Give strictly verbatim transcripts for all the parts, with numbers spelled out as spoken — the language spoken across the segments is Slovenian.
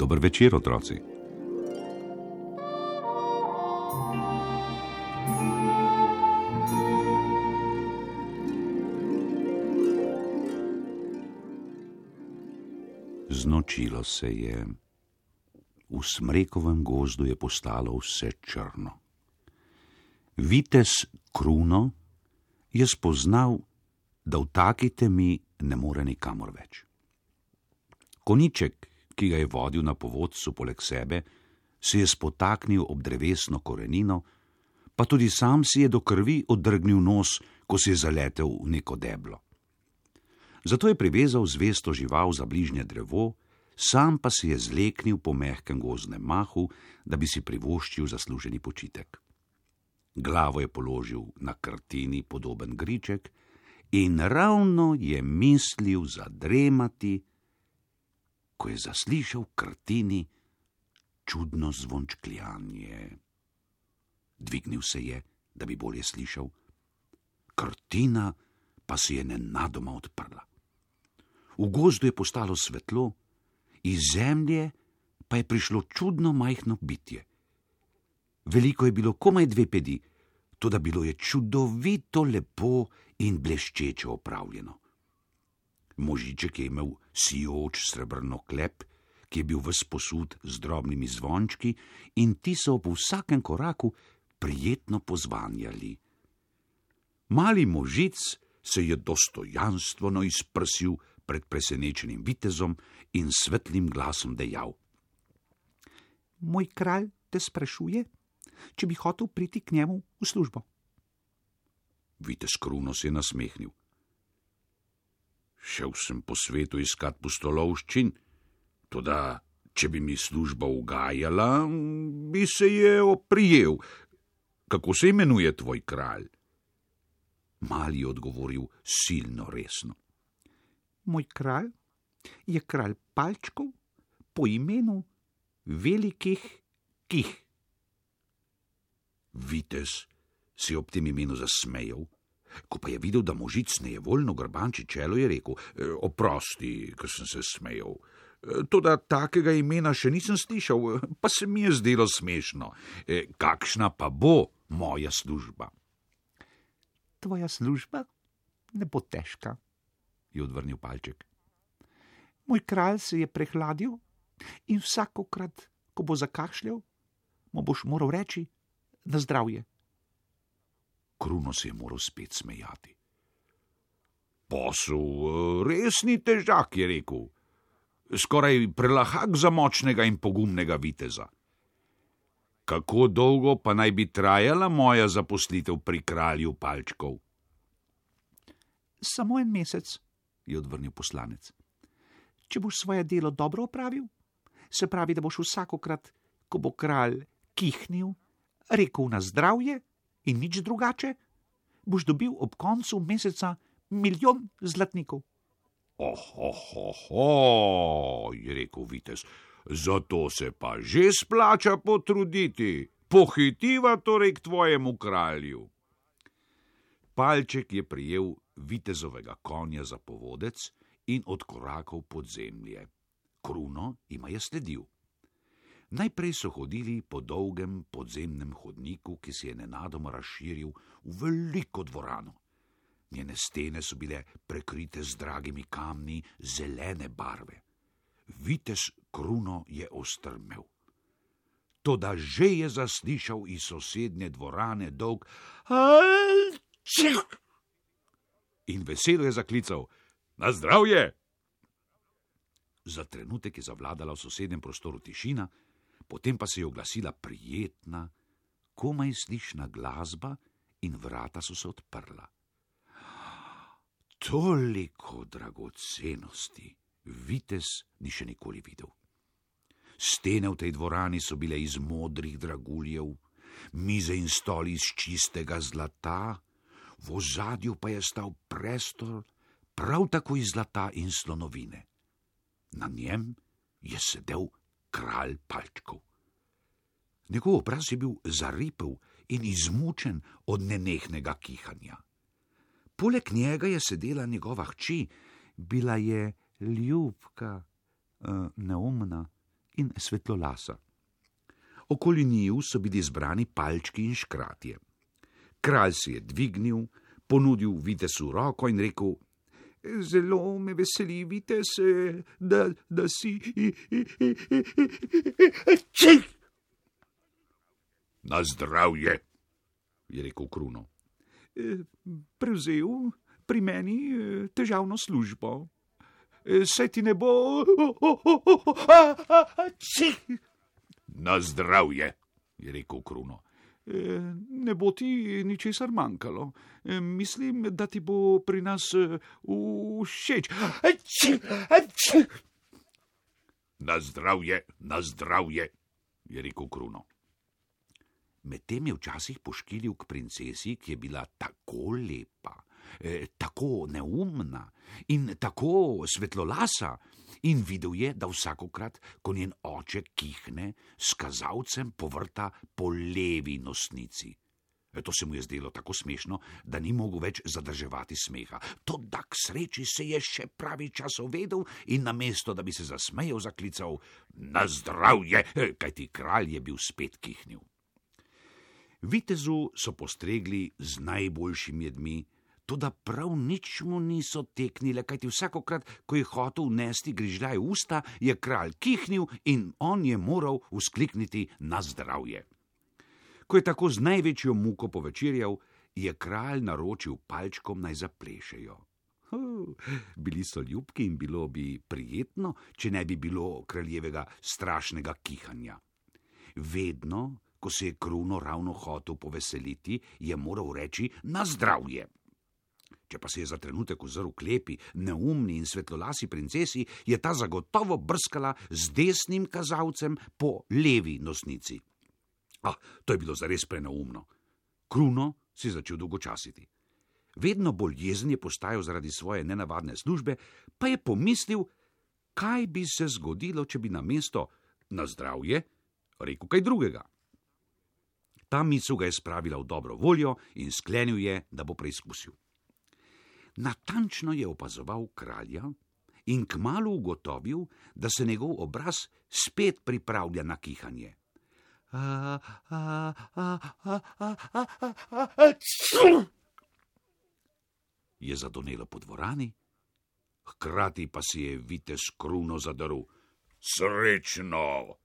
Dober večer, otroci. Znočilo se je. V smrekovem gozdu je postalo vse črno. Vitez Kruno je spoznal, da v taki temi ne more nikamor več. Konjiček, ki ga je vodil na povodcu poleg sebe, se je spotaknil ob drevesno korenino, pa tudi sam si je do krvi oddrgnil nos, ko se je zaletel v neko deblo. Zato je privezal zvesto žival za bližnje drevo, sam pa si je zleknil po mehkem gozdnem mahu, da bi si privoščil zasluženi počitek. Glavo je položil na krtini podoben griček in ravno je mislil zadremati, ko je zaslišal v krtini čudno zvončkljanje. Dvignil se je, da bi bolje slišal. Krtina pa se je nenadoma odprla. V gozdu je postalo svetlo, iz zemlje pa je prišlo čudno majhno bitje. Veliko je bilo komaj dve pedi, toda bilo je čudovito lepo in bleščeče opravljeno. Možiček je imel sijoč srebrno klep, ki je bil ves posut z drobnimi zvončki in ti so ob vsakem koraku prijetno pozvanjali. Mali možic se je dostojanstveno izprsil pred presenečenim vitezom in svetlim glasom dejal: Moj kralj te sprašuje, če bi hotel priti k njemu v službo. Vitez Kruno se je nasmehnil. Šel sem po svetu iskat pustolovščin, toda če bi mi služba ugajala, bi se je oprijel. Kako se imenuje tvoj kralj? Mali je odgovoril silno resno. Moj kralj je kralj palčkov po imenu Velikih Kih. Vitez se je ob tem imenu zasmejal, ko pa je videl, da možic nejevoljno grbanči čelo, je rekel: Oprosti, ker sem se smejal. Toda takega imena še nisem slišal, pa se mi je zdelo smešno. Kakšna pa bo moja služba? Tvoja služba ne bo težka, je odvrnil palček. Moj kralj se je prehladil in vsakokrat, ko bo zakašljal, mu boš moral reči na zdravje. Kruno se je moral spet smejati. Posel res ni težak, je rekel. Skoraj prelahak za močnega in pogumnega viteza. Kako dolgo pa naj bi trajala moja zaposlitev pri kralju palčkov? Samo en mesec, je odvrnil poslanec. Če boš svoje delo dobro opravil, se pravi, da boš vsakokrat, ko bo kralj kihnil, rekel na zdravje in nič drugače, boš dobil ob koncu meseca milijon zlatnikov. Oh, oh, oh, oh, je rekel vitez, zato se pa že splača potruditi. Pohitiva torej k tvojemu kralju. Palček je prijel vitezovega konja za povodec in odkorakal pod zemlje. Kruno jima je sledil. Najprej so hodili po dolgem podzemnem hodniku, ki se je nenadoma razširil v veliko dvorano. Njene stene so bile prekrite z dragimi kamni zelene barve. Vitez Kruno je ostrmel. Toda že je zaslišal iz sosednje dvorane dolg Alčik! In veselo je zaklical: Na zdravje! Za trenutek je zavladala v sosednjem prostoru tišina, potem pa se je oglasila prijetna, komaj slišna glasba in vrata so se odprla. Toliko dragocenosti vitez ni še nikoli videl. Stene v tej dvorani so bile iz modrih draguljev, mize in stoli iz čistega zlata, v ozadju pa je stal prestol prav tako iz zlata in slonovine. Na njem je sedel kralj palčkov. Njegov obraz je bil zaripel in izmučen od nenehnega kihanja. Poleg njega je sedela njegova hči, bila je ljubka, neumna in svetlolasa. Okoli njiju so bili zbrani palčki in škratje. Kralj se je dvignil, ponudil vitezu roko in rekel: Zelo me veseli, vitez, da, da si... Na zdravje, je rekel Kruno. Prevzel pri meni težavno službo. Saj ti ne bo... Na zdravje, je rekel Kruno. Ne bo ti ničesar manjkalo. Mislim, da ti bo pri nas všeč. Na zdravje, na zdravje, je rekel Kruno. Medtem je včasih poškilil k princesi, ki je bila tako lepa, eh, tako neumna in tako svetlolasa, in videl je, da vsakokrat, ko njen oče kihne, s kazalcem povrta po levi nosnici. To se mu je zdelo tako smešno, da ni mogel več zadrževati smeha. Toda k sreči se je še pravi čas uvedel in namesto, da bi se zasmejal, zaklical: Na zdravje, kajti kralj je bil spet kihnil. Vitezu so postregli z najboljšimi jedmi, toda prav nič mu niso teknile, kajti vsakokrat, ko je hotel vnesti grižljaj v usta, je kralj kihnil in on je moral vzklikniti: Na zdravje. Ko je tako z največjo muko povečerjal, je kralj naročil palčkom, naj zaplešejo. Uh, bili so ljubki in bilo bi prijetno, če ne bi bilo kraljevega strašnega kihanja. Vedno, ko se je Kruno ravno hotel poveseliti, je moral reči: Na zdravje. Če pa se je za trenutek ozrl k lepi, neumni in svetlolasi princesi, je ta zagotovo brskala z desnim kazalcem po levi nosnici. Ah, to je bilo zares preneumno. Kruno si začel dolgočasiti. Vedno bolj jezen je postajal zaradi svoje nenavadne službe, pa je pomislil, kaj bi se zgodilo, če bi namesto na zdravje rekel kaj drugega. Ta misel ga je spravila v dobro voljo in sklenil je, da bo preizkusil. Natančno je opazoval kralja in kmalu ugotovil, da se njegov obraz spet pripravlja na kihanje. A, a, a, a, a, a, a, a, je zadonelo po dvorani, hkrati pa si je vitez Kruno zadrl: Srečno!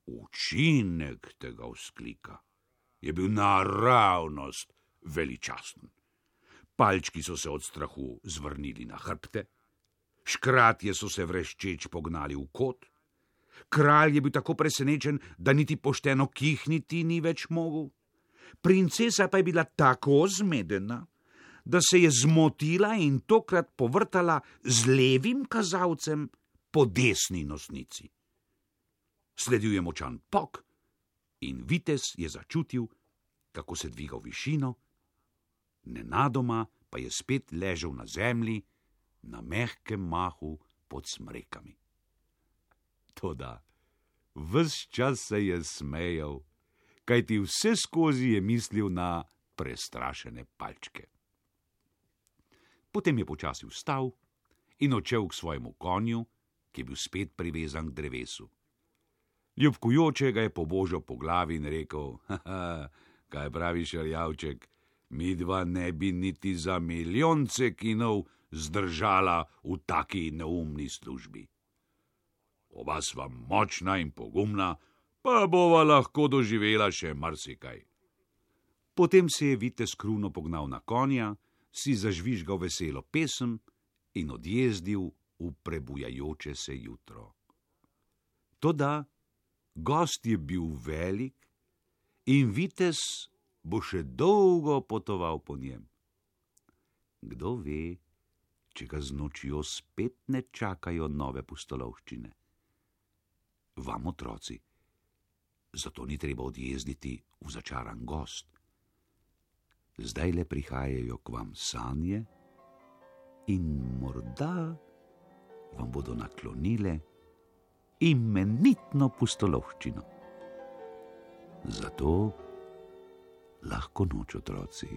Učinek tega vzklika je bil naravnost veličasten. Palčki so se od strahu zvrnili na hrbte, škratje so se vreščeč pognali v kot, kralj je bil tako presenečen, da niti pošteno kihniti ni več mogel. Princesa pa je bila tako zmedena, da se je zmotila in tokrat povrtala z levim kazalcem po desni nosnici. Sledil je močan pok in vitez je začutil, kako se dviga v višino, nenadoma pa je spet ležal na zemlji, na mehkem mahu pod smrekami. Toda ves čas se je smejal, kajti vse skozi je mislil na prestrašene palčke. Potem je počasi vstal in odšel k svojemu konju, ki je bil spet privezan k drevesu. Ljubkujoče ga je pobožal po glavi in rekel: Haha, kaj praviš, rjavček, midva ne bi niti za milijon cekinov zdržala v taki neumni službi. Oba sva močna in pogumna, pa bova lahko doživela še marsikaj. Potem se je vitez Kruno pognal na konja, si zažvižgal veselo pesem in odjezdil v prebujajoče se jutro. Toda gost je bil velik in vitez bo še dolgo potoval po njem. Kdo ve, če ga z nočjo spet ne čakajo nove pustolovščine. Vam, otroci, zato ni treba odjezditi v začaran gost. Zdaj le prihajajo k vam sanje in morda vam bodo naklonile imenitno pustolovščino. Zato lahko noč, otroci.